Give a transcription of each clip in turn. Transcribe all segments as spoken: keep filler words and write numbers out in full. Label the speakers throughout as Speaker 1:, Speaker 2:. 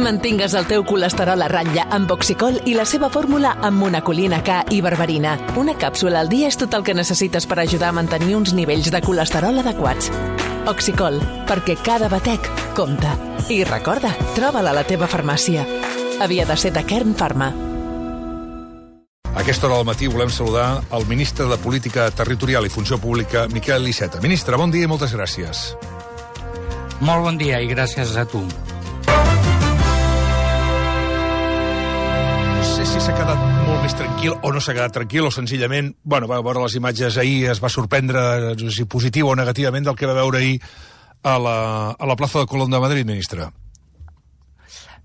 Speaker 1: Mantingues el teu colesterol a ratlla amb Oxicol i la seva fórmula amb monacolina K i berberina. Una càpsula al dia és tot el que necessites per ajudar a mantenir uns nivells de colesterol adequats. Oxicol, perquè cada batec compta. I recorda, troba-la a la teva farmàcia. Havia de ser de Kern Pharma.
Speaker 2: A aquesta hora del matí volem saludar el ministre de Política Territorial i Funció Pública, Miquel Iceta. Ministre, bon dia i moltes gràcies.
Speaker 3: Molt bon dia i gràcies a tu.
Speaker 2: No sé si s'ha quedat molt més tranquil o no s'ha quedat tranquil o senzillament, bueno, va veure les imatges ahir, es va sorprendre, no sé si positiu o negativament, del que va veure ahir a la, a la plaça de Colón de Madrid, ministre.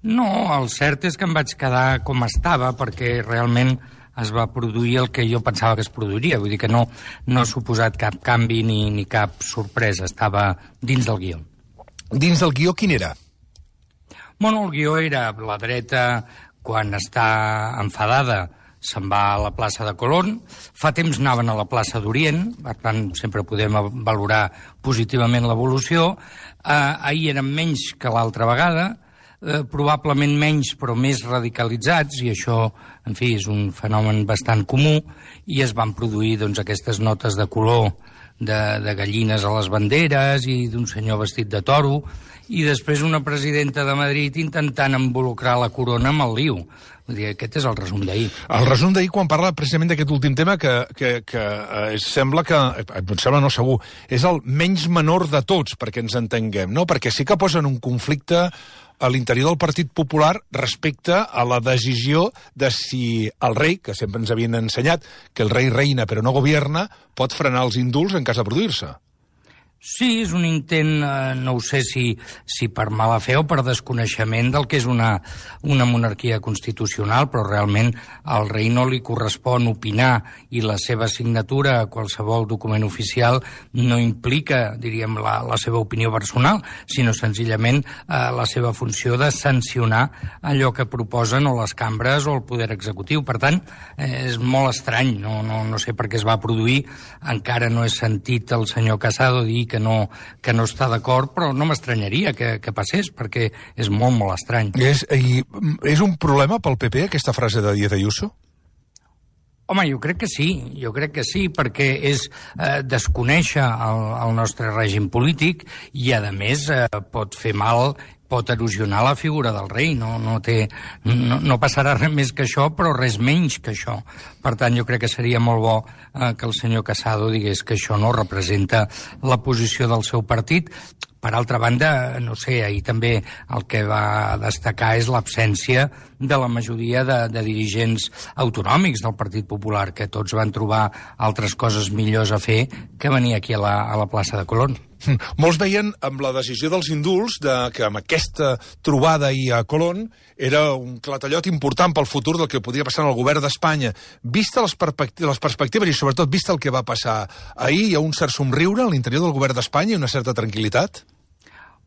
Speaker 3: No, el cert és que em vaig quedar com estava perquè realment es va produir el que jo pensava que es produiria. Vull dir que no, no ha suposat cap canvi ni, ni cap sorpresa. Estava dins del guió.
Speaker 2: Dins del guió, quin era?
Speaker 3: Bueno, el guió era la dreta, quan està enfadada, se'n va a la plaça de Colón. Fa temps anaven a la plaça d'Orient, per tant, sempre podem valorar positivament l'evolució. Eh, ahir eren menys que l'altra vegada, eh, probablement menys però més radicalitzats, i això, en fi, és un fenomen bastant comú, i es van produir doncs, aquestes notes de color de, de gallines a les banderes i d'un senyor vestit de toro, i després una presidenta de Madrid intentant involucrar la corona amb el liu. Vull dir, aquest és el resum d'ahir.
Speaker 2: El resum d'ahir, quan parla precisament d'aquest últim tema, que, que, que eh, sembla que, em sembla no segur, és el menys menor de tots, perquè ens entenguem, no? Perquè sí que posen un conflicte a l'interior del Partit Popular respecte a la decisió de si el rei, que sempre ens havien ensenyat que el rei reina però no governa, pot frenar els indults en cas de produir-se.
Speaker 3: Sí, és un intent, eh, no ho sé si, si per mala fe o per desconeixement del que és una, una monarquia constitucional, però realment al rei no li correspon opinar i la seva signatura a qualsevol document oficial no implica, diríem, la, la seva opinió personal, sinó senzillament eh, la seva funció de sancionar allò que proposen o les cambres o el poder executiu. Per tant, eh, és molt estrany, no, no, no sé per què es va produir, encara no he sentit el senyor Casado dir que que no, que no està d'acord, però no m'estranyaria que, que passés, perquè és molt, molt estrany.
Speaker 2: És, i, és un problema pel P P, aquesta frase de Díaz Ayuso?
Speaker 3: Home, jo crec que sí, jo crec que sí, perquè és eh, desconèixer el, el nostre règim polític i, a més, eh, pot fer mal, pot erosionar la figura del rei. No, no, té, no, no passarà res més que això, però res menys que això. Per tant, jo crec que seria molt bo eh, que el senyor Casado digués que això no representa la posició del seu partit. Per altra banda, no sé, ahir també el que va destacar és l'absència de la majoria de, de dirigents autonòmics del Partit Popular, que tots van trobar altres coses millors a fer que venir aquí a la, a la plaça de Colón.
Speaker 2: Molts veien amb la decisió dels indults de, que amb aquesta trobada ahir a Colón era un clatellot important pel futur del que podria passar en el govern d'Espanya. Vista les, perspectives, les perspectives i sobretot vista el que va passar ahir, hi ha un cert somriure a l'interior del govern d'Espanya i una certa tranquil·litat?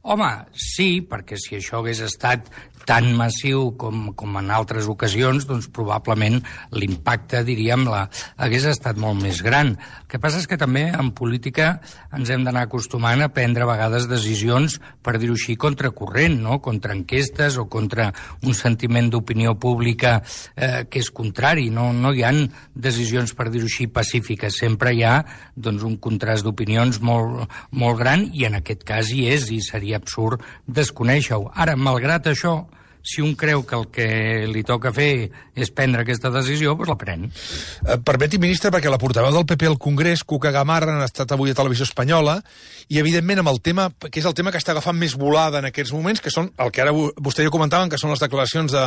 Speaker 3: Home, sí, perquè si això hagués estat tan massiu com, com en altres ocasions, doncs probablement l'impacte, diríem, la, hagués estat molt més gran. El que passa és que també en política ens hem d'anar acostumant a prendre a vegades decisions, per dir-ho així, contracorrent, no? Contra enquestes o contra un sentiment d'opinió pública eh, que és contrari. No, no hi ha decisions, per dir-ho així, pacífiques. Sempre hi ha doncs, un contrast d'opinions molt, molt gran i en aquest cas hi és i seria absurd desconèixer-ho. Ara, malgrat això, si un creu que el que li toca fer és prendre aquesta decisió, doncs la pren.
Speaker 2: Eh, permeti, ministre, perquè la portaveu del P P al Congrés, Cuca Gamarra, han estat avui a Televisió Espanyola, i evidentment amb el tema, que és el tema que està agafant més volada en aquests moments, que són el que ara vostè i jo comentaven, que són les declaracions de,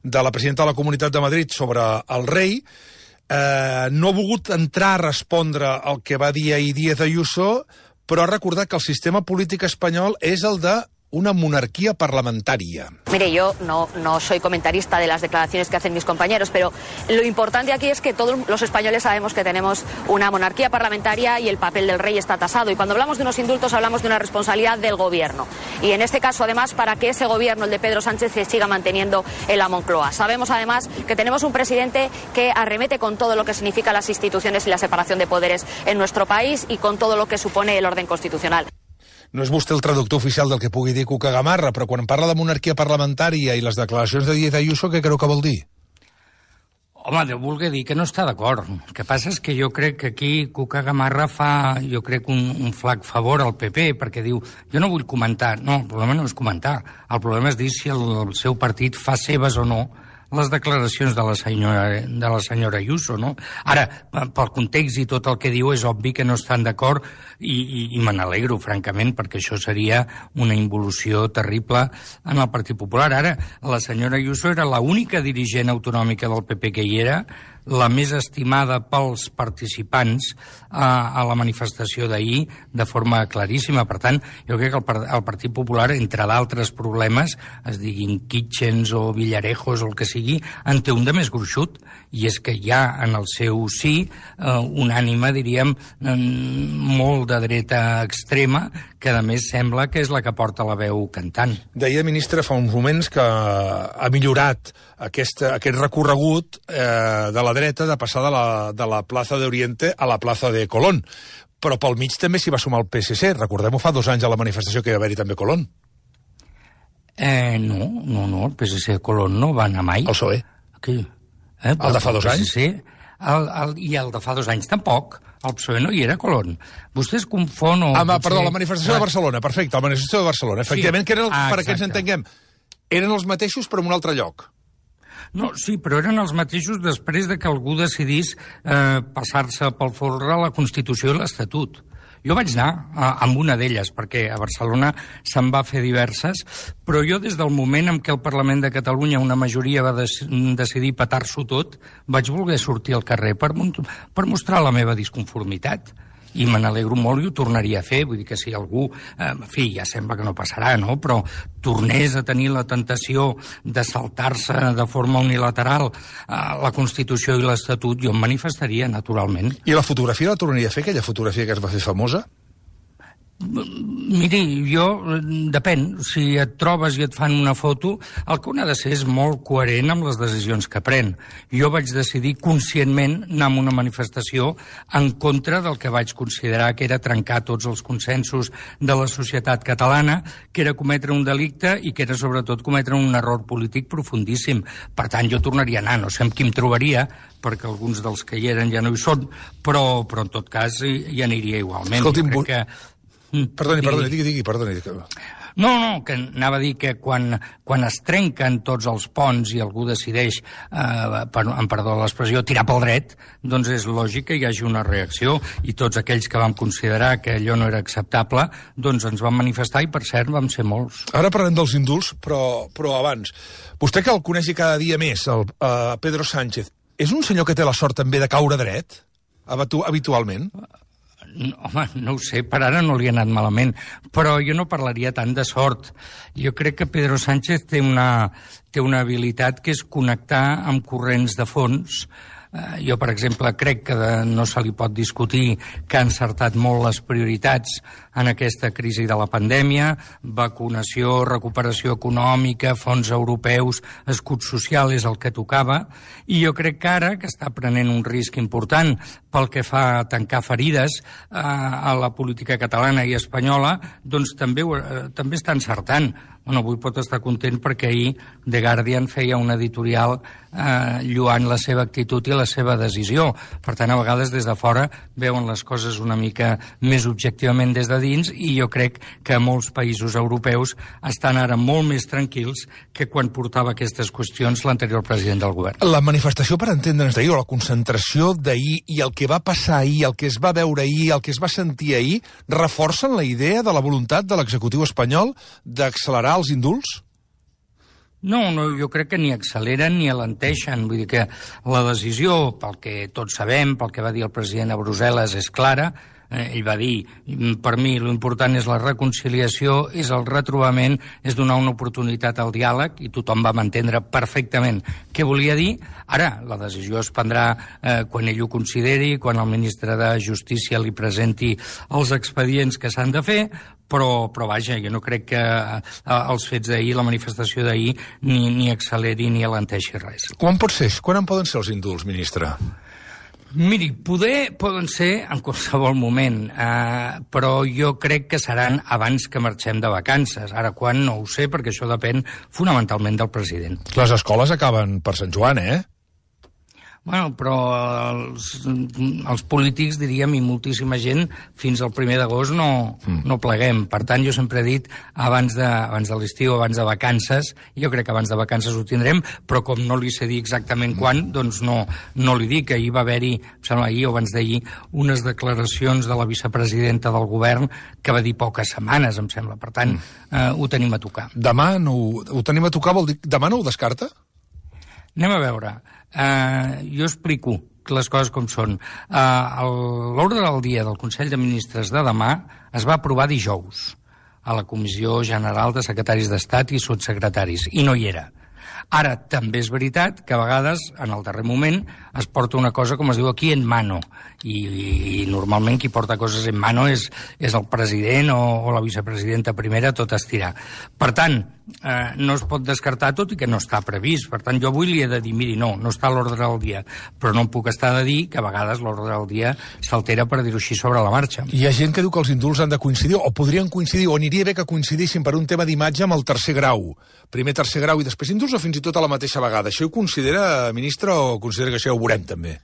Speaker 2: de la presidenta de la Comunitat de Madrid sobre el rei, eh, no ha volgut entrar a respondre el que va dir ahir Díaz Ayuso, però ha recordat que el sistema polític espanyol és el de una monarquía parlamentaria.
Speaker 4: Mire, yo no, no soy comentarista de las declaraciones que hacen mis compañeros, pero lo importante aquí es que todos los españoles sabemos que tenemos una monarquía parlamentaria y el papel del rey está tasado. Y cuando hablamos de unos indultos hablamos de una responsabilidad del gobierno. Y en este caso, además, para que ese gobierno, el de Pedro Sánchez, se siga manteniendo en la Moncloa. Sabemos, además, que tenemos un presidente que arremete con todo lo que significa las instituciones y la separación de poderes en nuestro país y con todo lo que supone el orden constitucional.
Speaker 2: no és vostè el traductor oficial del que pugui dir Cuca Gamarra, però quan parla de monarquia parlamentària i les declaracions de Díaz Ayuso, què creu que vol dir?
Speaker 3: Home, deu voler dir que no està d'acord. El que passa és que jo crec que aquí Cuca Gamarra fa, jo crec, un, un flac favor al P P, perquè diu, jo no vull comentar. No, el problema no és comentar. El problema és dir si el, el seu partit fa seves o no les declaracions de la senyora, de la senyora Ayuso, no? Ara, pel context i tot el que diu, és obvi que no estan d'acord i, i, i me n'alegro, francament, perquè això seria una involució terrible en el Partit Popular. Ara, la senyora Ayuso era l'única dirigent autonòmica del P P que hi era, la més estimada pels participants a, a la manifestació d'ahir de forma claríssima. Per tant, jo crec que el, el Partit Popular, entre d'altres problemes, es diguin Kitchens o Villarejos o el que sigui, en té un de més gruixut, i és que hi ha en el seu sí eh, un ànima, diríem, molt de dreta extrema, que a més sembla que és la que porta la veu cantant.
Speaker 2: Deia, ministre, fa uns moments que ha millorat aquest, aquest recorregut eh, de la dreta de passar de la, de la plaça d'Oriente a la plaça de Colón. Però pel mig també s'hi va sumar el P S C. Recordem-ho, fa dos anys a la manifestació que hi va haver-hi també Colón.
Speaker 3: Eh, no, no, no, el P S C de Colón no va anar mai.
Speaker 2: El P S O E.
Speaker 3: Aquí. Eh,
Speaker 2: el de fa dos anys?
Speaker 3: Sí, el, el, i el de fa dos anys tampoc. El P S O E no hi era Colón. Vostès confon o...
Speaker 2: Ah, potser... perdó, la manifestació
Speaker 3: ah.
Speaker 2: de Barcelona, perfecte, la manifestació de Barcelona. Efectivament, sí. que eren, ah, per que ens entenguem, eren els mateixos però en un altre lloc.
Speaker 3: No, sí, però eren els mateixos després de que algú decidís eh, passar-se pel folre la Constitució i l'Estatut. Jo vaig anar a, amb una d'elles, perquè a Barcelona se'n va fer diverses, però jo des del moment en què el Parlament de Catalunya una majoria va des, decidir petar-s'ho tot, vaig voler sortir al carrer per, per mostrar la meva disconformitat. I me n'alegro molt i ho tornaria a fer. Vull dir que si algú, eh, en fi, ja sembla que no passarà, no?, però tornés a tenir la tentació de saltar-se de forma unilateral eh, la Constitució i l'Estatut, jo em manifestaria, naturalment.
Speaker 2: I la fotografia la tornaria a fer, aquella fotografia que es va fer famosa?
Speaker 3: Miri, jo, depèn, si et trobes i et fan una foto, el que un ha de ser és molt coherent amb les decisions que pren. Jo vaig decidir conscientment anar a una manifestació en contra del que vaig considerar que era trencar tots els consensos de la societat catalana, que era cometre un delicte i que era sobretot cometre un error polític profundíssim. Per tant, jo tornaria a anar, no sé amb qui em trobaria, perquè alguns dels que hi eren ja no hi són, però, però en tot cas hi aniria igualment.
Speaker 2: Escolti'm,
Speaker 3: crec que...
Speaker 2: Perdoni, perdoni, digui, digui, perdoni.
Speaker 3: No, no, que anava a dir que quan, quan es trenquen tots els ponts i algú decideix, eh, per, en perdó l'expressió, tirar pel dret, doncs és lògic que hi hagi una reacció, i tots aquells que vam considerar que allò no era acceptable, doncs ens vam manifestar i, per cert, vam ser molts.
Speaker 2: Ara parlem dels indults, però, però abans, vostè que el coneixi cada dia més, el uh, Pedro Sánchez, és un senyor que té la sort també de caure dret, habitualment?
Speaker 3: No, home, no ho sé, per ara no li ha anat malament, però jo no parlaria tant de sort. Jo crec que Pedro Sánchez té una, té una habilitat que és connectar amb corrents de fons. Uh, jo, per exemple, crec que de, no se li pot discutir que ha encertat molt les prioritats en aquesta crisi de la pandèmia, vacunació, recuperació econòmica, fons europeus, escut social és el que tocava, i jo crec que ara, que està prenent un risc important pel que fa a tancar ferides eh, a la política catalana i espanyola, doncs també, eh, també està encertant. Bueno, avui pot estar content perquè ahir The Guardian feia un editorial eh, lluant la seva actitud i la seva decisió. Per tant, a vegades des de fora veuen les coses una mica més objectivament des de dins, i jo crec que molts països europeus estan ara molt més tranquils que quan portava aquestes qüestions l'anterior president del govern.
Speaker 2: La manifestació, per entendre'ns d'ahir, o la concentració d'ahir i el que va passar ahir, el que es va veure ahir, el que es va sentir ahir, reforcen la idea de la voluntat de l'executiu espanyol d'accelerar els indults?
Speaker 3: No, no, jo crec que ni acceleren ni alenteixen. Vull dir que la decisió, pel que tots sabem, pel que va dir el president a Brussel·les, és clara. Eh, ell va dir, per mi l'important és la reconciliació, és el retrobament, és donar una oportunitat al diàleg, i tothom va entendre perfectament què volia dir. Ara, la decisió es prendrà eh, quan ell ho consideri, quan el ministre de Justícia li presenti els expedients que s'han de fer, però, però vaja, jo no crec que eh, els fets d'ahir, la manifestació d'ahir, ni, ni acceleri ni alenteixi res.
Speaker 2: Quan pot ser? Quan en poden ser els indults, ministre?
Speaker 3: Miri, poder poden ser en qualsevol moment, eh, però jo crec que seran abans que marxem de vacances. Ara, quan, no ho sé, perquè això depèn fonamentalment del president.
Speaker 2: Les escoles acaben per Sant Joan, eh?
Speaker 3: Bueno, però els, els polítics, diríem, i moltíssima gent, fins al primer d'agost no, mm. no pleguem. Per tant, jo sempre he dit, abans de, abans de l'estiu, abans de vacances, jo crec que abans de vacances ho tindrem, però com no li sé dir exactament quan, doncs no, no li dic. Ahir va haver-hi, em sembla ahir o abans d'ahir, unes declaracions de la vicepresidenta del govern que va dir poques setmanes, em sembla. Per tant, mm. eh, ho tenim a tocar.
Speaker 2: Demà no, ho tenim a tocar, vol dir... Demà no ho descarta?
Speaker 3: Anem a veure. Uh, jo explico les coses com són. Uh, L'ordre del dia del Consell de Ministres de demà es va aprovar dijous a la Comissió General de Secretaris d'Estat i Sotssecretaris, i no hi era. Ara, també és veritat que a vegades, en el darrer moment, es porta una cosa, com es diu aquí, en mano. I, i, i normalment qui porta coses en mano és, és el president o, o la vicepresidenta primera, tot estirar. Per tant, eh, no es pot descartar, tot i que no està previst. Per tant, jo avui li he de dir, miri, no, no està a l'ordre del dia. Però no em puc estar de dir que a vegades l'ordre del dia s'altera, per dir-ho així, sobre la marxa.
Speaker 2: Hi ha gent que diu que els indults han de coincidir, o podrien coincidir, o aniria bé que coincidissin per un tema d'imatge amb el tercer grau. Primer tercer grau i després indults, o fins i tot a la mateixa vegada. Això ho considera, ministre, o considera que això ja ho veurem també?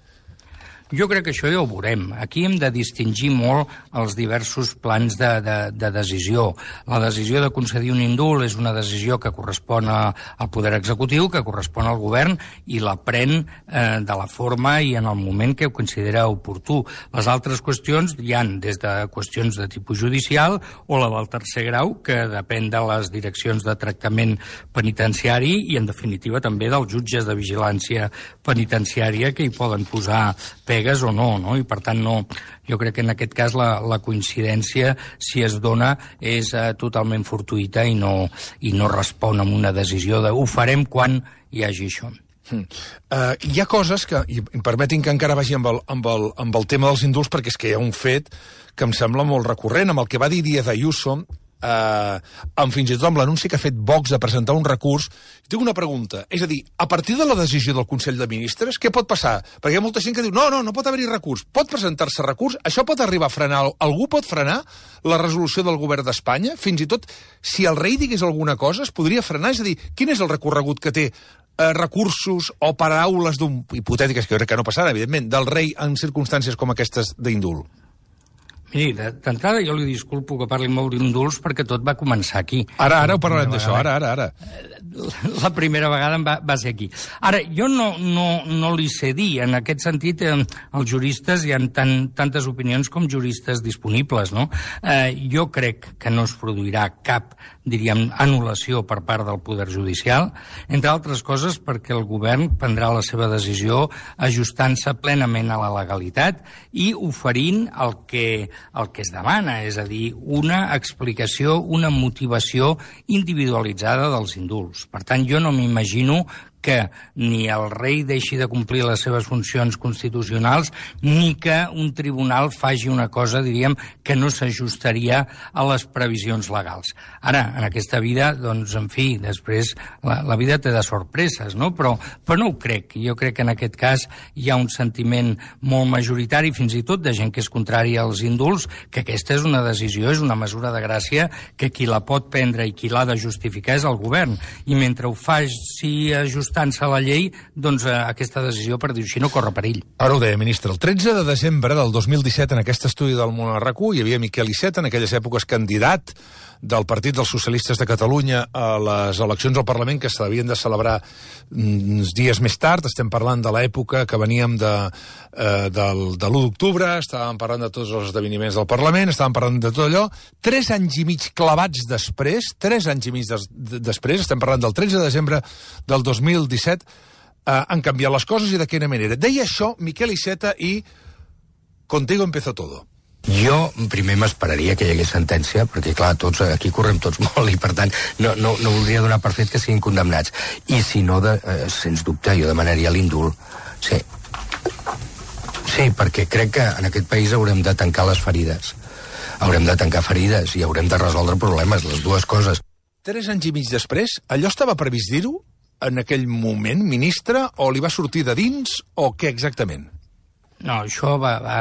Speaker 3: Jo crec que això ja ho veurem. Aquí hem de distingir molt els diversos plans de, de, de decisió. La decisió de concedir un indult és una decisió que correspon a, al poder executiu, que correspon al govern, i la pren eh, de la forma i en el moment que ho considera oportú. Les altres qüestions hi han des de qüestions de tipus judicial o la del tercer grau, que depèn de les direccions de tractament penitenciari i, en definitiva, també dels jutges de vigilància penitenciària, que hi poden posar pegues o no, no? I per tant no, jo crec que en aquest cas la, la coincidència, si es dona, és uh, totalment fortuïta i no, i no respon a una decisió de ho farem quan hi hagi això.
Speaker 2: Hmm. Uh, hi ha coses que, i em permetin que encara vagi amb el, amb, el, amb el tema dels indults, perquè és que hi ha un fet que em sembla molt recurrent, amb el que va dir Díaz Ayuso, Uh, amb fins i tot amb l'anunci que ha fet Vox de presentar un recurs. Tinc una pregunta, és a dir, a partir de la decisió del Consell de Ministres, què pot passar? Perquè hi ha molta gent que diu, no, no, no pot haver-hi recurs, pot presentar-se recurs, això pot arribar a frenar, algú pot frenar la resolució del govern d'Espanya? Fins i tot, si el rei digués alguna cosa, es podria frenar? És a dir, quin és el recorregut que té eh, recursos o paraules d'un, hipotètiques, que jo crec que no passaran, evidentment, del rei en circumstàncies com aquestes d'indult?
Speaker 3: Miri, d'entrada jo li disculpo que parli molt d'indults perquè tot va començar aquí.
Speaker 2: Ara, ara ho parlarem d'això, ara, ara, ara.
Speaker 3: La primera vegada va, va ser aquí. Ara, jo no, no, no li sé dir, en aquest sentit, eh, els juristes hi ha tan, tantes opinions com juristes disponibles, no? Eh, jo crec que no es produirà cap, diríem, anul·lació per part del Poder Judicial, entre altres coses perquè el govern prendrà la seva decisió ajustant-se plenament a la legalitat i oferint el que el que es demana, és a dir, una explicació, una motivació individualitzada dels indults. Per tant, jo no m'imagino que ni el rei deixi de complir les seves funcions constitucionals, ni que un tribunal faci una cosa, diríem, que no s'ajustaria a les previsions legals. Ara, en aquesta vida, doncs, en fi, després la, la vida té de sorpreses, no? Però, però no ho crec. Jo crec que en aquest cas hi ha un sentiment molt majoritari, fins i tot de gent que és contrària als indults, que aquesta és una decisió, és una mesura de gràcia, que qui la pot prendre i qui l'ha de justificar és el govern. I mentre ho faci ajustar ajustant-se a la llei, doncs eh, aquesta decisió, per dir-ho així, no corre perill.
Speaker 2: Ara ho deia, ministre. El tretze de desembre del dos mil disset, en aquest estudi del Món a RAC u, hi havia Miquel Iceta, en aquelles èpoques candidat del Partit dels Socialistes de Catalunya a les eleccions al Parlament, que s'havien de celebrar uns dies més tard. Estem parlant de l'època que veníem de, eh, del, de l'u d'octubre, estàvem parlant de tots els esdeveniments del Parlament, estàvem parlant de tot allò. Tres anys i mig clavats després, tres anys i mig des, de, després, estem parlant del tretze de desembre del dos mil disset, eh, han canviat les coses i de quina manera. Deia això Miquel Iceta i contigo empezó todo.
Speaker 5: Jo primer m'esperaria que hi hagués sentència, perquè clar, tots aquí correm tots molt i per tant no, no, no voldria donar per fet que siguin condemnats. I si no, de, eh, sens dubte, jo demanaria l'indult. Sí. Sí, perquè crec que en aquest país haurem de tancar les ferides. Haurem de tancar ferides i haurem de resoldre problemes, les dues coses.
Speaker 2: Tres anys i mig després, allò estava previst dir-ho en aquell moment, ministre, o li va sortir de dins, o què exactament?
Speaker 3: No, això va, va,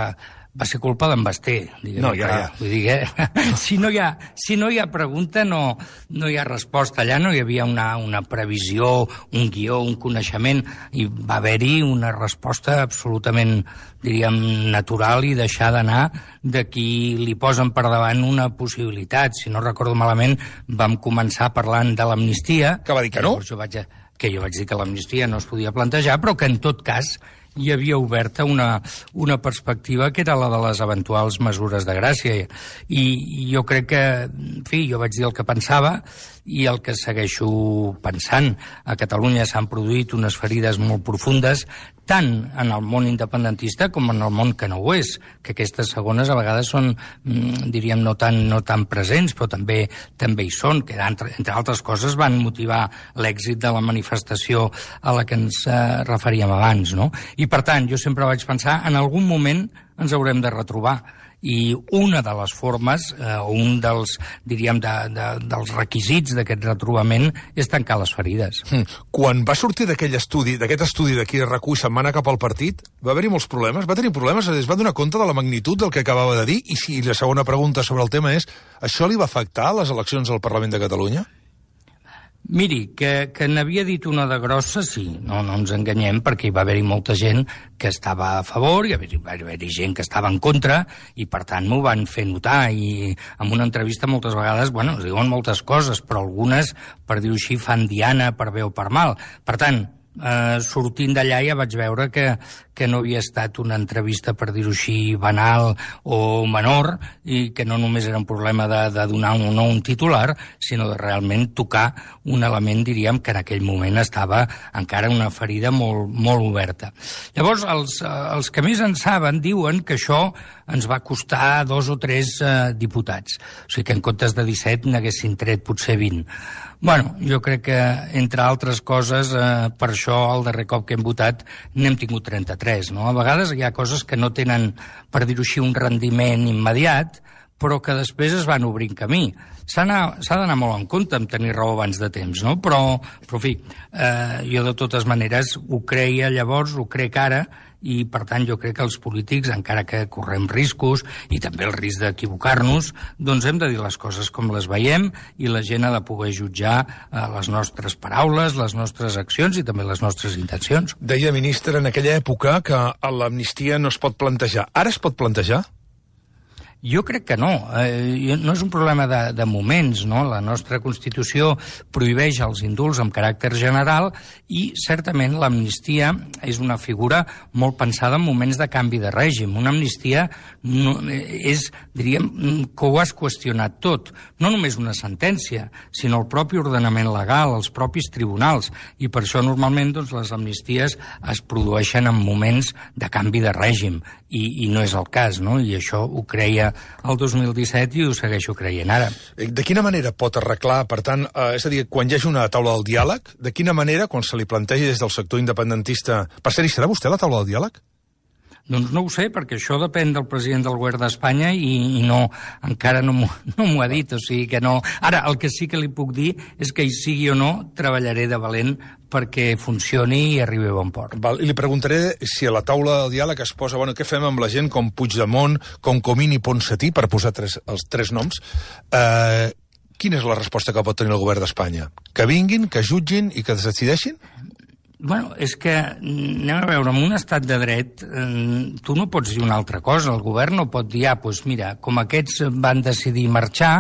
Speaker 3: va ser culpa d'en Basté.
Speaker 2: No, ja, ja.
Speaker 3: Vull dir que si no hi ha, si no hi ha pregunta, no, no hi ha resposta. Allà no hi havia una, una previsió, un guió, un coneixement, i va haver-hi una resposta absolutament, diríem, natural i deixar d'anar de qui li posen per davant una possibilitat. Si no recordo malament, vam començar parlant de l'amnistia.
Speaker 2: Que va dir que no?
Speaker 3: Jo vaig, que jo vaig dir que l'amnistia no es podia plantejar, però que en tot cas hi havia oberta una, una perspectiva que era la de les eventuals mesures de gràcia. I, i jo crec que, en fi, jo vaig dir el que pensava i el que segueixo pensant. A Catalunya s'han produït unes ferides molt profundes, tant en el món independentista com en el món que no ho és, que aquestes segones a vegades són, diríem, no tan, no tan presents, però també també hi són, que entre, entre altres coses van motivar l'èxit de la manifestació a la que ens eh, referíem abans, no? I per tant, jo sempre vaig pensar, en algun moment ens haurem de retrobar. I una de les formes, eh, un dels, diríem, de, de, dels requisits d'aquest retrobament és tancar les ferides.
Speaker 2: Quan va sortir d'aquell estudi, d'aquest estudi d'aquí de R A C u i se'n va anar cap al partit, va haver-hi molts problemes? Va tenir problemes? Es va donar compte de la magnitud del que acabava de dir? I si la segona pregunta sobre el tema és, això li va afectar a les eleccions al Parlament de Catalunya?
Speaker 3: Miri, que, que n'havia dit una de grossa, sí, no, no ens enganyem, perquè hi va haver-hi molta gent que estava a favor, i hi va haver-hi gent que estava en contra, i per tant m'ho van fer notar, i en una entrevista moltes vegades, bueno, es diuen moltes coses, però algunes, per dir-ho així, fan diana per bé o per mal. Per tant, eh, sortint d'allà ja vaig veure que, que no havia estat una entrevista, per dir-ho així, banal o menor, i que no només era un problema de, de donar un, no un titular, sinó de realment tocar un element, diríem, que en aquell moment estava encara una ferida molt, molt oberta. Llavors, els, els que més en saben diuen que això ens va costar dos o tres eh, diputats. O sigui que en comptes de disset n'haguessin tret potser vint. Bueno, jo crec que, entre altres coses, eh, per això el darrer cop que hem votat n'hem tingut trenta-tres, no? A vegades hi ha coses que no tenen, per dir-ho així, un rendiment immediat, però que després es van obrint camí. S'ha d'anar molt en compte amb tenir raó abans de temps, no? Però, però en fi, eh, jo de totes maneres ho creia llavors, ho crec ara, i per tant jo crec que els polítics, encara que correm riscos i també el risc d'equivocar-nos, doncs hem de dir les coses com les veiem i la gent ha de poder jutjar eh, les nostres paraules, les nostres accions i també les nostres intencions.
Speaker 2: Deia, ministre, en aquella època que l'amnistia no es pot plantejar. Ara es pot plantejar?
Speaker 3: Jo crec que no. Eh, no és un problema de, de moments, no? La nostra Constitució prohibeix els indults amb caràcter general i, certament, l'amnistia és una figura molt pensada en moments de canvi de règim. Una amnistia no, és, diríem, que ho has qüestionat tot. No només una sentència, sinó el propi ordenament legal, els propis tribunals. I per això, normalment, doncs, les amnisties es produeixen en moments de canvi de règim. I, i no és el cas, no? I això ho creia el dos mil disset i ho segueixo creient ara.
Speaker 2: De quina manera pot arreglar, per tant, eh, és a dir, quan hi hagi una taula del diàleg, de quina manera, quan se li plantegi des del sector independentista... Per cert, hi serà vostè a la taula del diàleg?
Speaker 3: Doncs no ho sé, perquè això depèn del president del govern d'Espanya i, i no, encara no m'ho no ha dit, o sigui que no... Ara, el que sí que li puc dir és que hi sigui o no, treballaré de valent perquè funcioni i arribi a bon port.
Speaker 2: Val, i li preguntaré si a la taula del diàleg es posa, bueno, què fem amb la gent com Puigdemont, com Comín i Ponsatí, per posar tres, els tres noms. Eh, quina és la resposta que pot tenir el govern d'Espanya? Que vinguin, que jutgin i que es decideixin?
Speaker 3: Bueno, és que, anem a veure, en un estat de dret eh, tu no pots dir una altra cosa. El govern no pot dir, ah, doncs mira, com aquests van decidir marxar,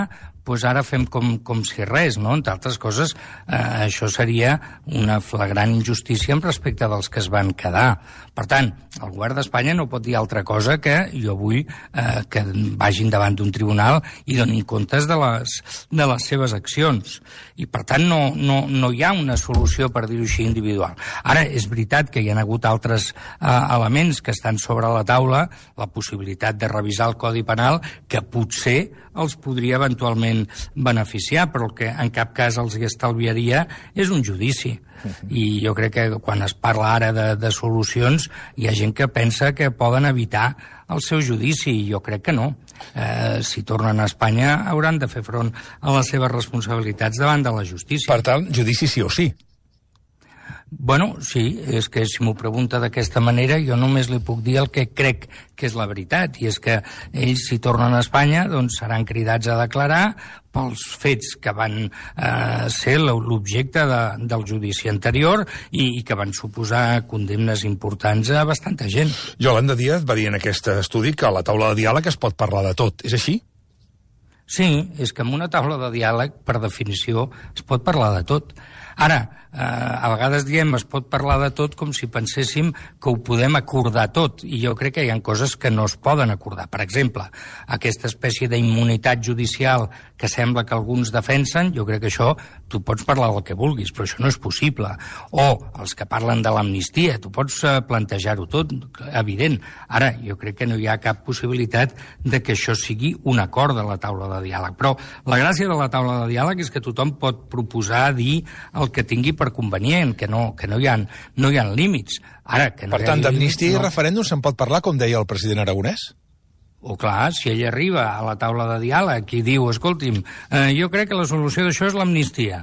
Speaker 3: doncs ara fem com, com si res, no? Entre altres coses, eh, això seria una flagrant injustícia en respecte dels que es van quedar. Per tant, el govern d'Espanya no pot dir altra cosa que jo vull eh, que vagin davant d'un tribunal i donin comptes de les, de les seves accions. I, per tant, no, no, no hi ha una solució, per dir-ho així, individual. Ara, és veritat que hi ha hagut altres eh, elements que estan sobre la taula, la possibilitat de revisar el Codi Penal, que potser els podria eventualment beneficiar, però el que en cap cas els hi estalviaria és un judici. I jo crec que quan es parla ara de, de solucions hi ha gent que pensa que poden evitar el seu judici, i jo crec que no. Eh, si tornen a Espanya hauran de fer front a les seves responsabilitats davant de la justícia.
Speaker 2: Per tant, judici sí o sí.
Speaker 3: Bueno, sí, és que si m'ho pregunta d'aquesta manera, jo només li puc dir el que crec que és la veritat, i és que ells, si tornen a Espanya, doncs seran cridats a declarar pels fets que van eh, ser l'objecte de, del judici anterior i, i que van suposar condemnes importants a bastanta gent.
Speaker 2: Yolanda Díaz va dir en aquest estudi que a la taula de diàleg es pot parlar de tot. És així?
Speaker 3: Sí, és que en una taula de diàleg, per definició, es pot parlar de tot. Ara, eh, a vegades diem es pot parlar de tot com si penséssim que ho podem acordar tot, i jo crec que hi ha coses que no es poden acordar. Per exemple, aquesta espècie d'immunitat judicial que sembla que alguns defensen, jo crec que això tu pots parlar del que vulguis, però això no és possible. O els que parlen de l'amnistia, tu pots eh, plantejar-ho tot, evident. Ara, jo crec que no hi ha cap possibilitat de que això sigui un acord de la taula de diàleg. Però la gràcia de la taula de diàleg és que tothom pot proposar, dir el que tingui per convenient, que no, que no, hi, ha, no hi ha límits. Ara, que no
Speaker 2: per tant, d'amnistia
Speaker 3: no...
Speaker 2: i referèndum se'n pot parlar, com deia el president Aragonès?
Speaker 3: O clar, si ell arriba a la taula de diàleg i diu, escolti'm, eh, jo crec que la solució d'això és l'amnistia,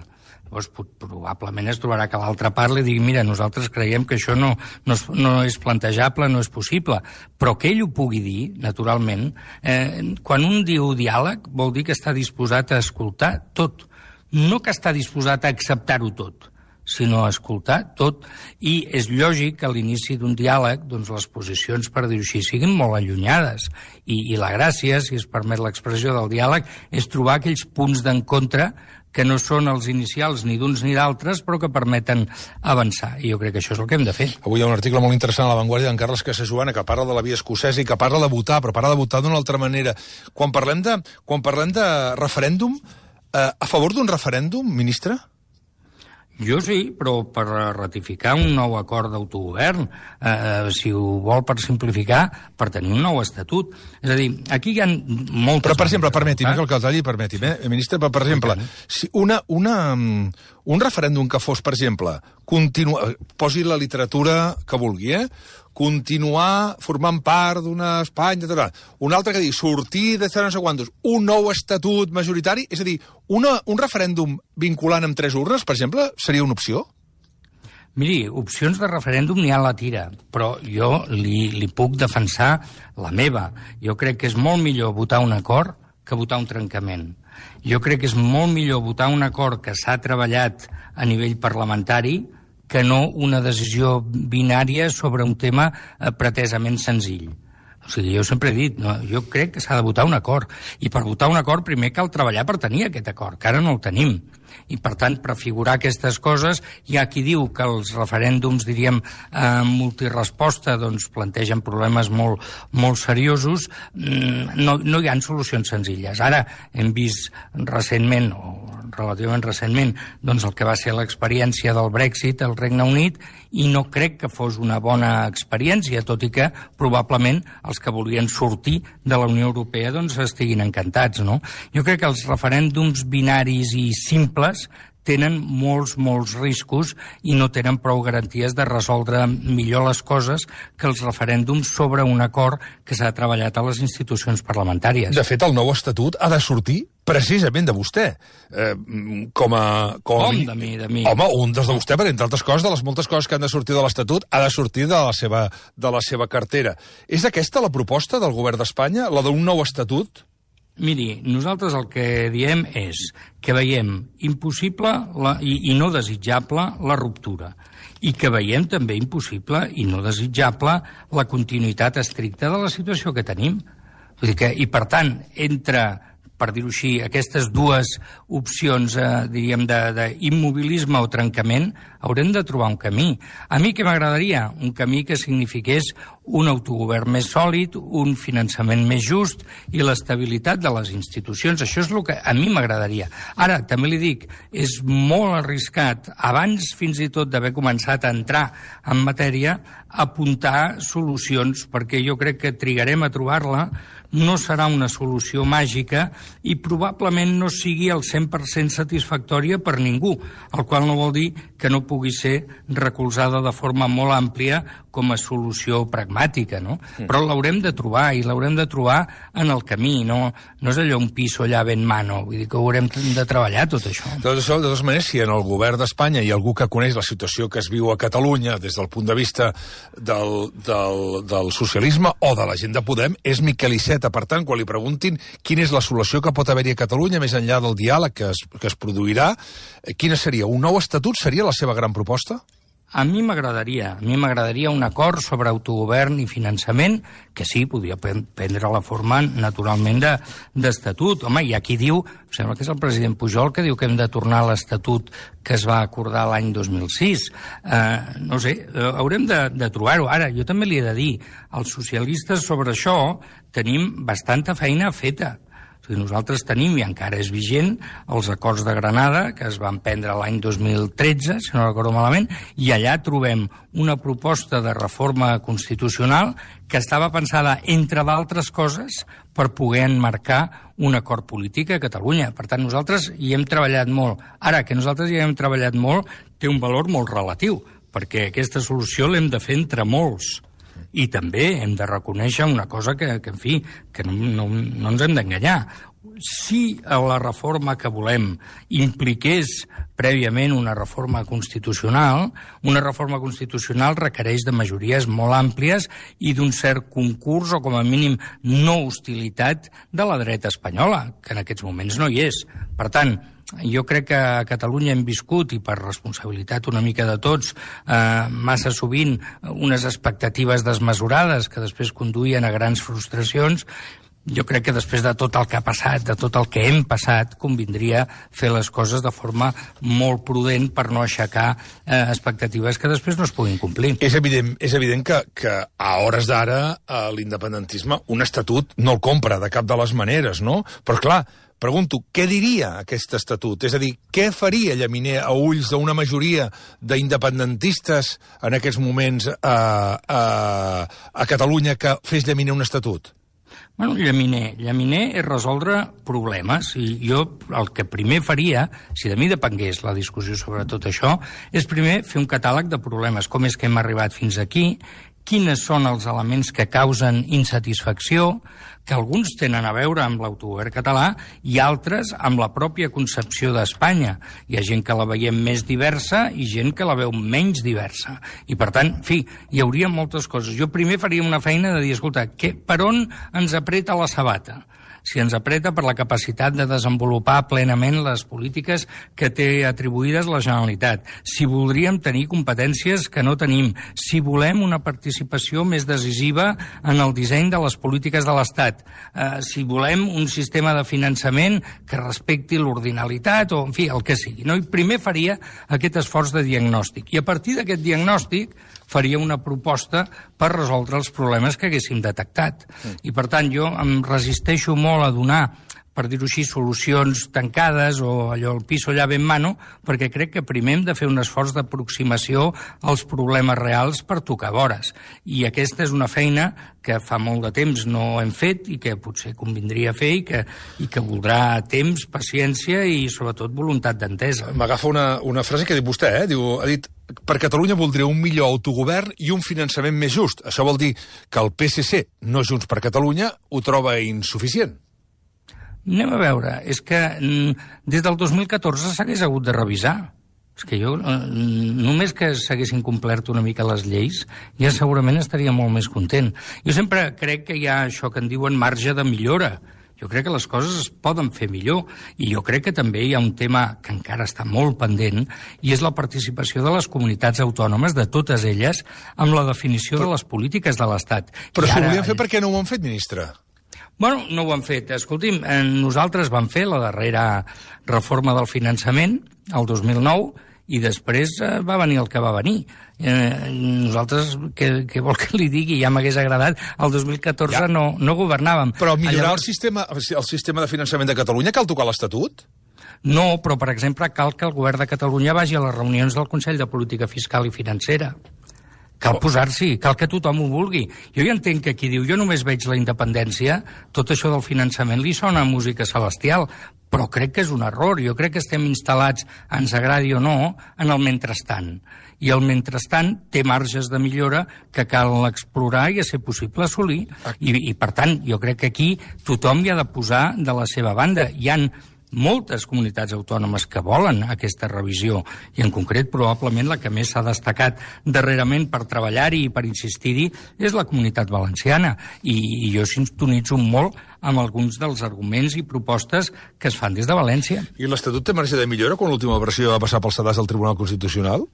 Speaker 3: doncs probablement es trobarà que l'altra part li digui, mira, nosaltres creiem que això no, no, és, no és plantejable, no és possible, però que ell ho pugui dir, naturalment, eh, quan un diu diàleg vol dir que està disposat a escoltar tot, no que està disposat a acceptar-ho tot, sinó a escoltar tot, i és lògic que a l'inici d'un diàleg doncs les posicions, per dir-ho així, siguin molt allunyades, i, i la gràcia, si es permet l'expressió del diàleg, és trobar aquells punts d'encontre que no són els inicials ni d'uns ni d'altres, però que permeten avançar, i jo crec que això és el que hem de fer.
Speaker 2: Avui hi ha un article molt interessant a La Vanguardia d'en Carles Casajoana que parla de la via escocesa i que parla de votar, però parla de votar d'una altra manera. Quan parlem de, quan parlem de referèndum, eh, a favor d'un referèndum, ministre?
Speaker 3: Jo sí, però per ratificar un nou acord d'autogovern, eh, si ho vol per simplificar, per tenir un nou estatut. És a dir, aquí hi ha moltes...
Speaker 2: Però, per exemple, permeti'm, que el que el talli, permeti'm, eh, ministre, però, per exemple, si una, una, un referèndum que fos, per exemple, continua, posi la literatura que vulgui, eh? continuar formant part d'una Espanya, un altre que digui sortir de no sé quantos, un nou estatut majoritari, és a dir, una, un referèndum vinculant amb tres urnes, per exemple, seria una opció?
Speaker 3: Miri, opcions de referèndum n'hi ha a la tira, però jo li, li puc defensar la meva. Jo crec que és molt millor votar un acord que votar un trencament. Jo crec que és molt millor votar un acord que s'ha treballat a nivell parlamentari que no una decisió binària sobre un tema eh, pretesament senzill. O sigui, jo sempre he dit, no, jo crec que s'ha de votar un acord, i per votar un acord primer cal treballar per tenir aquest acord, que ara no el tenim. I, per tant, prefigurar aquestes coses, hi ha qui diu que els referèndums, diríem, eh, multiresposta, doncs plantegen problemes molt, molt seriosos, no, no hi ha solucions senzilles. Ara hem vist recentment, o relativament recentment, doncs el que va ser l'experiència del Brexit al Regne Unit, i no crec que fos una bona experiència, tot i que probablement els que volien sortir de la Unió Europea doncs estiguin encantats, no? Jo crec que els referèndums binaris i simples tenen molts, molts riscos i no tenen prou garanties de resoldre millor les coses que els referèndums sobre un acord que s'ha treballat a les institucions parlamentàries.
Speaker 2: De fet, el nou estatut ha de sortir precisament de vostè. Eh, com a... Com,
Speaker 3: com de mi, de mi?
Speaker 2: Home, un des de vostè, perquè entre altres coses, de les moltes coses que han de sortir de l'estatut, ha de sortir de la seva, de la seva cartera. És aquesta la proposta del govern d'Espanya, la d'un nou estatut?
Speaker 3: Miri, nosaltres el que diem és que veiem impossible la, i, i no desitjable la ruptura, i que veiem també impossible i no desitjable la continuïtat estricta de la situació que tenim. Vull dir que, i per tant, entre, per dir-ho així, aquestes dues opcions, eh, diríem, d'immobilisme o trencament, haurem de trobar un camí. A mi què m'agradaria? Un camí que signifiqués un autogovern més sòlid, un finançament més just i l'estabilitat de les institucions. Això és el que a mi m'agradaria. Ara, també li dic, és molt arriscat, abans fins i tot d'haver començat a entrar en matèria, apuntar solucions, perquè jo crec que trigarem a trobar-la, no serà una solució màgica i probablement no sigui al cent per cent satisfactòria per ningú, el qual no vol dir que no pugui ser recolzada de forma molt àmplia com a solució pragmàtica. pragmàtica, no? Mm. Però l'haurem de trobar, i l'haurem de trobar en el camí, no, no és allò un piso allà ben mano, vull dir que ho haurem de treballar, tot això.
Speaker 2: De totes, de totes maneres, si en el govern d'Espanya hi ha algú que coneix la situació que es viu a Catalunya des del punt de vista del, del, del socialisme o de la gent de Podem, és Miquel Iceta. Per tant, quan li preguntin quina és la solució que pot haver-hi a Catalunya, més enllà del diàleg que es, que es produirà, quina seria? Un nou estatut seria la seva gran proposta?
Speaker 3: A mi m'agradaria, a mi m'agradaria un acord sobre autogovern i finançament, que sí, podria prendre la forma, naturalment, d'estatut. Home, hi ha qui diu, em sembla que és el president Pujol, que diu que hem de tornar a l'estatut que es va acordar l'any dos mil sis. Eh, no sé, haurem de, de trobar-ho. Ara, jo també li he de dir, els socialistes sobre això tenim bastanta feina feta. Nosaltres tenim, i encara és vigent, els acords de Granada, que es van prendre l'any dos mil tretze, si no recordo malament, i allà trobem una proposta de reforma constitucional que estava pensada, entre d'altres coses, per poder enmarcar un acord polític a Catalunya. Per tant, nosaltres hi hem treballat molt. Ara, que nosaltres hi hem treballat molt, té un valor molt relatiu, perquè aquesta solució l'hem de fer entre molts. I també hem de reconèixer una cosa que, que en fi, que no, no, no ens hem d'enganyar. Si la reforma que volem impliqués prèviament una reforma constitucional, una reforma constitucional requereix de majories molt àmplies i d'un cert concurs o, com a mínim, no hostilitat de la dreta espanyola, que en aquests moments no hi és. Per tant, jo crec que a Catalunya hem viscut, i per responsabilitat una mica de tots, eh, massa sovint unes expectatives desmesurades que després conduïen a grans frustracions. Jo crec que després de tot el que ha passat, de tot el que hem passat, convindria fer les coses de forma molt prudent per no aixecar eh, expectatives que després no es puguin complir.
Speaker 2: És evident, és evident que, que a hores d'ara eh, l'independentisme un estatut no el compra de cap de les maneres, no? Però clar, pregunto, què diria aquest estatut? És a dir, què faria Llaminer a ulls d'una majoria d'independentistes en aquests moments a, a, a Catalunya que fes Llaminer un estatut?
Speaker 3: Bueno, Llaminer, Llaminer és resoldre problemes, i jo el que primer faria, si de mi depengués la discussió sobre tot això, és primer fer un catàleg de problemes. Com és que hem arribat fins aquí? Quines són els elements que causen insatisfacció, que alguns tenen a veure amb l'autogovern català i altres amb la pròpia concepció d'Espanya. Hi ha gent que la veiem més diversa i gent que la veu menys diversa. I, per tant, en fi, hi hauria moltes coses. Jo primer faria una feina de dir, escolta, que, per on ens apreta la sabata? Si ens apreta per la capacitat de desenvolupar plenament les polítiques que té atribuïdes la Generalitat, si voldríem tenir competències que no tenim, si volem una participació més decisiva en el disseny de les polítiques de l'Estat, eh, si volem un sistema de finançament que respecti l'ordinalitat, o, en fi, el que sigui. No? I primer faria aquest esforç de diagnòstic. I a partir d'aquest diagnòstic faria una proposta per resoldre els problemes que haguéssim detectat. I, per tant, jo em resisteixo molt a donar, per dir-ho així, solucions tancades o allò, el piso allà ben mano, perquè crec que primer hem de fer un esforç d'aproximació als problemes reals per tocar vores. I aquesta és una feina que fa molt de temps no hem fet i que potser convindria fer i que, i que voldrà temps, paciència i, sobretot, voluntat d'entesa.
Speaker 2: M'agafa una, una frase que ha dit vostè, eh? Diu, ha dit, per Catalunya voldria un millor autogovern i un finançament més just. Això vol dir que el P S C, no Junts per Catalunya, ho troba insuficient.
Speaker 3: Anem a veure, és que des del dos mil catorze s'hagués hagut de revisar. És que jo, només que s'haguessin complert una mica les lleis, ja segurament estaria molt més content. Jo sempre crec que hi ha això que en diuen marge de millora. Jo crec que les coses es poden fer millor, i jo crec que també hi ha un tema que encara està molt pendent, i és la participació de les comunitats autònomes, de totes elles, amb la definició però, de les polítiques de l'Estat.
Speaker 2: Però si ho volien fer, per què no ho han fet, ministre?
Speaker 3: Bueno, no ho han fet. Escolti'm, nosaltres vam fer la darrera reforma del finançament, el dos mil nou, i després va venir el que va venir. Eh, nosaltres, què, què vol que li digui? Ja m'hagués agradat. El dos mil catorze ja. no, no governàvem.
Speaker 2: Però millorar Llavors... el, sistema, el sistema de finançament de Catalunya cal tocar l'Estatut?
Speaker 3: No, però, per exemple, cal que el govern de Catalunya vagi a les reunions del Consell de Política Fiscal i Financera. Cal posar-s'hi, cal que tothom ho vulgui. Jo ja entenc que qui diu jo només veig la independència, tot això del finançament li sona a música celestial, però crec que és un error. Jo crec que estem instal·lats, ens agradi o no, en el mentrestant. I el mentrestant té marges de millora que cal explorar i a ser possible assolir. I, i per tant, jo crec que aquí tothom hi ha de posar de la seva banda. Hi han moltes comunitats autònomes que volen aquesta revisió, i en concret probablement la que més s'ha destacat darrerament per treballar-hi i per insistir-hi és la Comunitat Valenciana, i, i jo sintonitzo molt amb alguns dels arguments i propostes que es fan des de València.
Speaker 2: I l'Estatut té marge de millora quan l'última versió va passar pel sedàs del Tribunal Constitucional?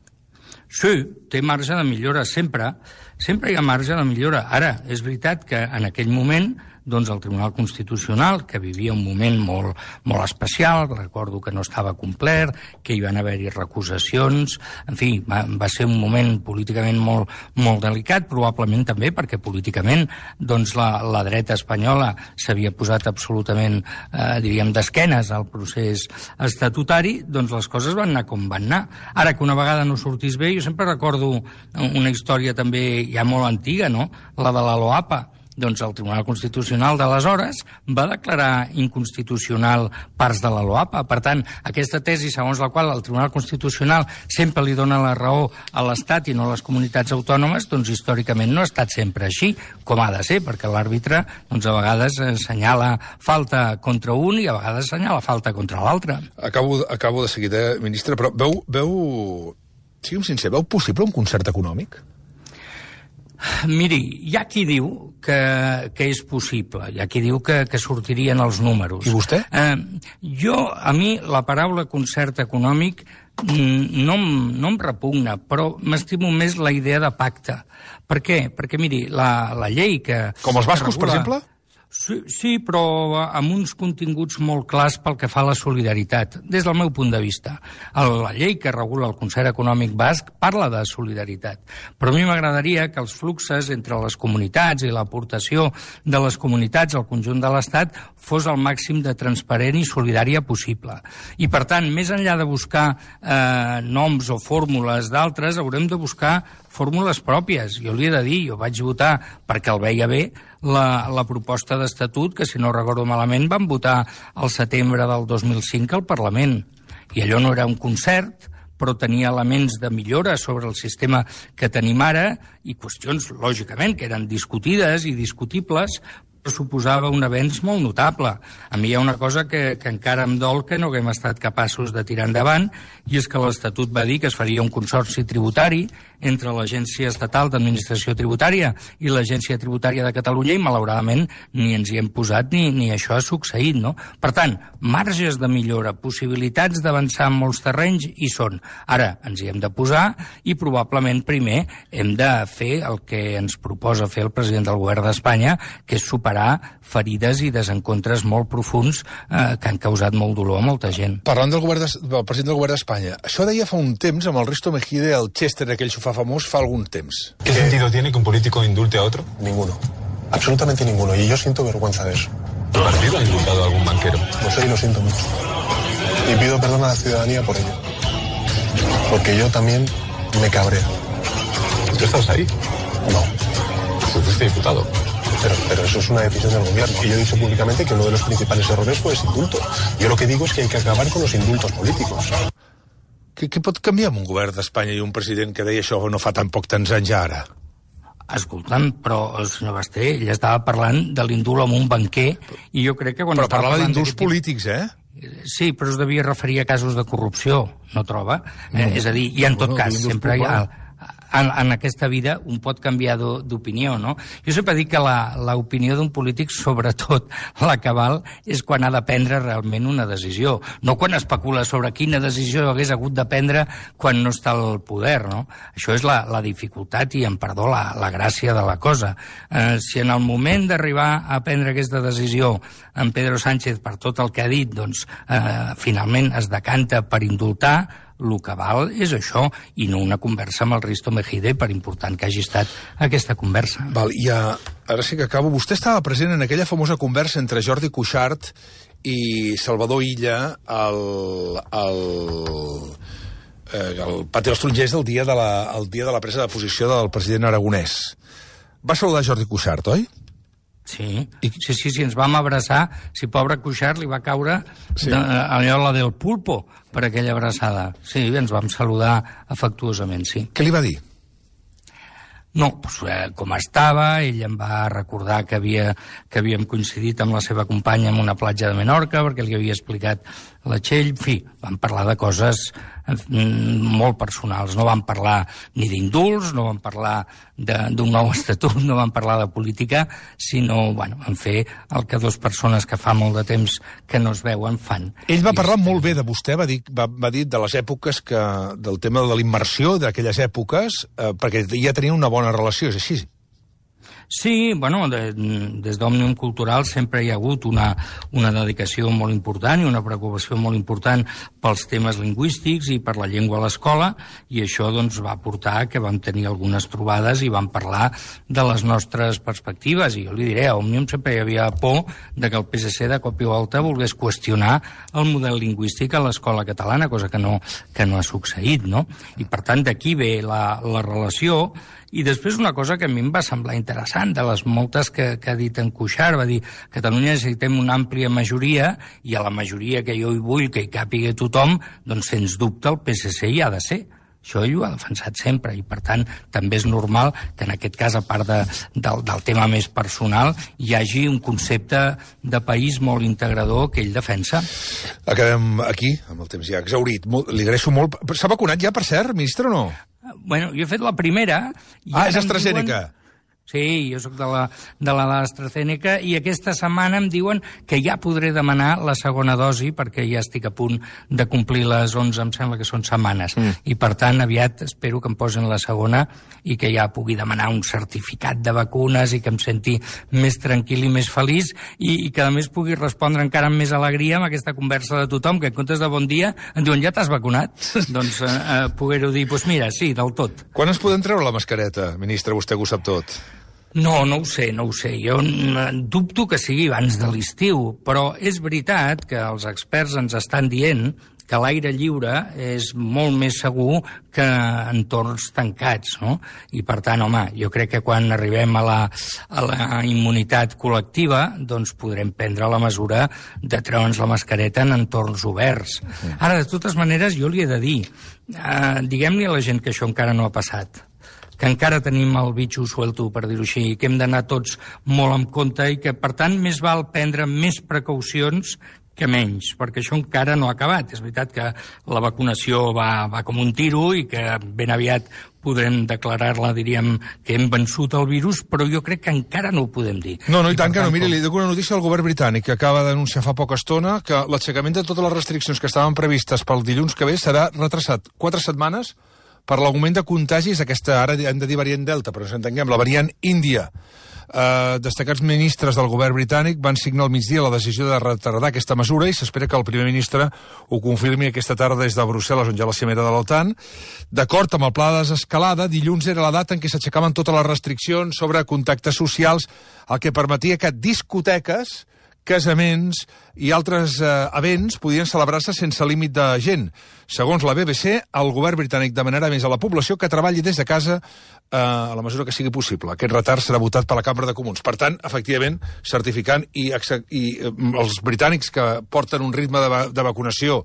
Speaker 3: Sí, té marge de millora, sempre. Sempre hi ha marge de millora. Ara, és veritat que en aquell moment doncs el Tribunal Constitucional, que vivia un moment molt, molt especial, recordo que no estava complert, que hi van haver-hi recusacions, en fi, va, va ser un moment políticament molt, molt delicat, probablement també perquè políticament doncs la, la dreta espanyola s'havia posat absolutament, eh, diríem, d'esquenes al procés estatutari, doncs les coses van anar com van anar. Ara, que una vegada no sortís bé, jo sempre recordo una història també ja molt antiga, no?, la de la LOAPA. Doncs el Tribunal Constitucional d'aleshores va declarar inconstitucional parts de la LOAPA. Per tant, aquesta tesi segons la qual el Tribunal Constitucional sempre li dona la raó a l'Estat i no a les comunitats autònomes, doncs històricament no ha estat sempre així, com ha de ser, perquè l'àrbitre doncs, a vegades assenyala falta contra un i a vegades assenyala falta contra l'altre.
Speaker 2: Acabo, acabo de seguida, ministre, però veu, veu, siguem sincers, veu possible un concert econòmic?
Speaker 3: Miri, hi ha qui diu que, que és possible, hi ha qui diu que, que sortirien els números.
Speaker 2: I vostè?
Speaker 3: Eh, jo, a mi, la paraula concert econòmic no, no em repugna, però m'estimo més la idea de pacte. Per què? Perquè, miri, la, la llei que...
Speaker 2: Com els bascos,
Speaker 3: regula...
Speaker 2: per exemple?
Speaker 3: Sí, sí, però amb uns continguts molt clars pel que fa a la solidaritat, des del meu punt de vista. La llei que regula el concert econòmic basc parla de solidaritat, però a mi m'agradaria que els fluxes entre les comunitats i l'aportació de les comunitats al conjunt de l'Estat fos el màxim de transparent i solidària possible. I, per tant, més enllà de buscar eh, noms o fórmules d'altres, haurem de buscar fórmules pròpies. Jo li he de dir, jo vaig votar perquè el veia bé la, la proposta d'estatut que, si no recordo malament, van votar al setembre del dos mil cinc al Parlament. I allò no era un concert, però tenia elements de millora sobre el sistema que tenim ara i qüestions, lògicament, que eren discutides i discutibles, però suposava un avenç molt notable. A mi hi ha una cosa que, que encara em dol que no haguem estat capaços de tirar endavant, i és que l'Estatut va dir que es faria un consorci tributari entre l'Agència Estatal d'Administració Tributària i l'Agència Tributària de Catalunya, i malauradament ni ens hi hem posat ni, ni això ha succeït, no? Per tant, marges de millora, possibilitats d'avançar en molts terrenys hi són. Ara ens hi hem de posar i probablement primer hem de fer el que ens proposa fer el president del govern d'Espanya, que és superar ferides i desencontres molt profuns eh, que han causat molt dolor a molta gent.
Speaker 2: Parlant del, govern de, del president del govern d'Espanya, això deia fa un temps amb el Risto Mejide, el Chester, aquell sofà famós, fa algun temps.
Speaker 6: ¿Qué sentido tiene que un político indulte a otro?
Speaker 7: Ninguno. Absolutamente ninguno. Y yo siento vergüenza de eso.
Speaker 6: ¿Tu partido ha indultado a algún banquero?
Speaker 7: Lo sé y lo siento mucho. Y pido perdón a la ciudadanía por ello. Porque yo también me cabreo.
Speaker 6: ¿Tú estás ahí?
Speaker 7: No.
Speaker 6: ¿Tú fuiste diputado?
Speaker 7: Pero, pero eso es una decisión del gobierno. Y yo he dicho públicamente que uno de los principales errores fue ese indulto. Yo lo que digo es que hay que acabar con los indultos políticos.
Speaker 2: Què, què pot canviar amb un govern d'Espanya i un president que deia això no fa tan poc tants anys ara?
Speaker 3: Escolta'm, però el senyor Basté, ell estava parlant de l'indult amb un banquer, i jo crec que quan
Speaker 2: però
Speaker 3: estava
Speaker 2: parlava
Speaker 3: parlant
Speaker 2: d'indults polítics, eh?
Speaker 3: Sí, però es devia referir a casos de corrupció, no troba? No, eh, és a dir, i en tot
Speaker 2: bueno,
Speaker 3: cas, sempre hi ha... En, en aquesta vida un pot canviar d'opinió, no? Jo sempre dic que l'opinió d'un polític, sobretot la cabal, és quan ha de prendre realment una decisió, no quan especula sobre quina decisió hagués hagut de prendre quan no està al poder, no? Això és la, la dificultat i, em perdó, la, la gràcia de la cosa. Eh, si en el moment d'arribar a prendre aquesta decisió en Pedro Sánchez, per tot el que ha dit, doncs, eh, finalment es decanta per indultar, el que val és això, i no una conversa amb el Risto Mejide, per important que hagi estat aquesta conversa.
Speaker 2: Val, i a, ara sí que acabo. Vostè estava present en aquella famosa conversa entre Jordi Cuixart i Salvador Illa al, al, eh, el Pati dels Tarongers el dia de la, el dia de la presa de posició del president aragonès. Va saludar Jordi Cuixart, oi?
Speaker 3: Sí, I... sí, sí, sí, ens vam abraçar. Si pobre Cuixart li va caure
Speaker 2: sí.
Speaker 3: de, allò la del pulpo per aquella abraçada. Sí, ens vam saludar afectuosament, sí.
Speaker 2: Què li va dir?
Speaker 3: No, doncs, eh, com estava, ell em va recordar que, havia, que havíem coincidit amb la seva companya en una platja de Menorca, perquè li havia explicat la Txell. En fi, vam parlar de coses molt personals. No vam parlar ni d'indults, no vam parlar d'un nou estatut, no vam parlar de política, sinó, bueno, en fer el que dues persones que fa molt de temps que no es veuen fan.
Speaker 2: Ell va parlar molt bé de vostè, va dir, va, va dir de les èpoques que, del tema de la immersió d'aquelles èpoques, eh, perquè ja tenia una bona relació, és així?
Speaker 3: Sí, bueno, de, des d'Òmnium Cultural sempre hi ha hagut una, una dedicació molt important i una preocupació molt important pels temes lingüístics i per la llengua a l'escola, i això doncs, va portar que vam tenir algunes trobades i vam parlar de les nostres perspectives. I jo li diré, a Òmnium sempre hi havia por de que el P S C de cop i volta volgués qüestionar el model lingüístic a l'escola catalana, cosa que no, que no ha succeït, no? I per tant d'aquí ve la, la relació. I després una cosa que a mi em va semblar interessant, de les moltes que, que ha dit en Cuixart, va dir Catalunya necessitem una àmplia majoria, i a la majoria que jo hi vull que hi càpiga tothom, doncs sens dubte el P S C hi ha de ser. Això ell ho ha defensat sempre, i per tant també és normal que en aquest cas, a part de, del, del tema més personal, hi hagi un concepte de país molt integrador que ell defensa.
Speaker 2: Acabem aquí, amb el temps ja exhaurit. Molt, li agraeixo molt. S'ha vacunat ja, per cert, ministre, o no?
Speaker 3: Bueno, jo he fet la primera... I
Speaker 2: ah, és AstraZeneca.
Speaker 3: Diuen... Sí, jo sóc de la de la AstraZeneca, i aquesta setmana em diuen que ja podré demanar la segona dosi, perquè ja estic a punt de complir les onze, em sembla que són setmanes. Mm. I per tant, aviat espero que em posin la segona i que ja pugui demanar un certificat de vacunes i que em senti més tranquil i més feliç, i, i que a més pugui respondre encara amb més alegria amb aquesta conversa de tothom, que en comptes de bon dia em diuen ja t'has vacunat? Doncs eh, eh, poder-ho dir, doncs mira, sí, del tot.
Speaker 2: Quan es podem treure la mascareta, ministre, vostè que ho sap tot?
Speaker 3: No, no ho sé, no ho sé. Jo dubto que sigui abans de l'estiu, però és veritat que els experts ens estan dient que l'aire lliure és molt més segur que entorns tancats, no? I per tant, home, jo crec que quan arribem a la, a la immunitat col·lectiva, doncs podrem prendre la mesura de treure'ns la mascareta en entorns oberts. Ara, de totes maneres, jo li he de dir, eh, diguem-li a la gent que això encara no ha passat, que encara tenim el bitxo suelto, per dir-ho així, que hem d'anar tots molt en compte i que, per tant, més val prendre més precaucions que menys, perquè això encara no ha acabat. És veritat que la vacunació va, va com un tiro i que ben aviat podrem declarar-la, diríem, que hem vençut el virus, però jo crec que encara no ho podem dir.
Speaker 2: No, no, i, I tant que no. Miri, li dono una notícia al govern britànic, que acaba d'anunciar fa poca estona que l'aixecament de totes les restriccions que estaven previstes pel dilluns que ve serà retrasat quatre setmanes per l'augment de contagis, aquesta, ara hem de dir variant Delta, però ens entenguem, la variant Índia. Eh, destacats ministres del govern britànic van signar al migdia la decisió de retardar aquesta mesura i s'espera que el primer ministre ho confirmi aquesta tarda des de Brussel·les, on hi ha la cimera de l'OTAN. D'acord amb el pla de desescalada, dilluns era la data en què s'aixecaven totes les restriccions sobre contactes socials, el que permetia que discoteques, casaments i altres eh, events podien celebrar-se sense límit de gent. Segons la B B C, el govern britànic demanarà més a la població que treballi des de casa eh, a la mesura que sigui possible. Aquest retard serà votat per la Cambra de Comuns. Per tant, efectivament, certificant i, i eh, els britànics que porten un ritme de, va de vacunació,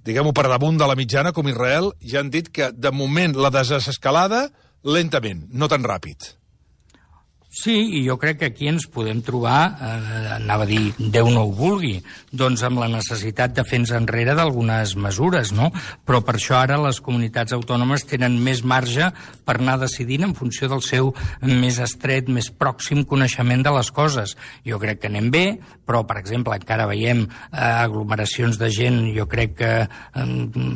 Speaker 2: diguem-ho, per damunt de la mitjana, com Israel, ja han dit que, de moment, la desescalada, lentament, no tan ràpid.
Speaker 3: Sí, i jo crec que aquí ens podem trobar, eh, anava a dir, Déu no ho vulgui, doncs amb la necessitat de fer-nos enrere d'algunes mesures, no? Però per això ara les comunitats autònomes tenen més marge per anar decidint en funció del seu més estret, més pròxim coneixement de les coses. Jo crec que anem bé, però, per exemple, encara veiem eh, aglomeracions de gent, jo crec que eh,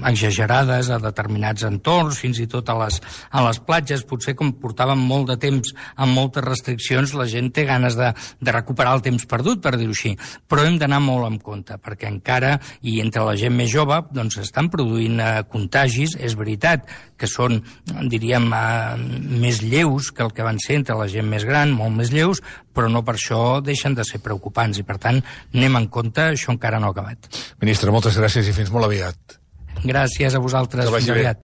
Speaker 3: exagerades a determinats entorns, fins i tot a les, a les platges, potser com portàvem molt de temps amb moltes restriccions, la gent té ganes de, de recuperar el temps perdut, per dir-ho així, però hem d'anar molt en compte, perquè encara, i entre la gent més jove, doncs estan produint eh, contagis, és veritat que són, diríem, eh, més lleus que el que van ser entre la gent més gran, molt més lleus, però no per això deixen de ser preocupants, i per tant, anem en compte, això encara no ha acabat.
Speaker 2: Ministre, moltes gràcies i fins molt aviat.
Speaker 3: Gràcies a vosaltres, fins aviat.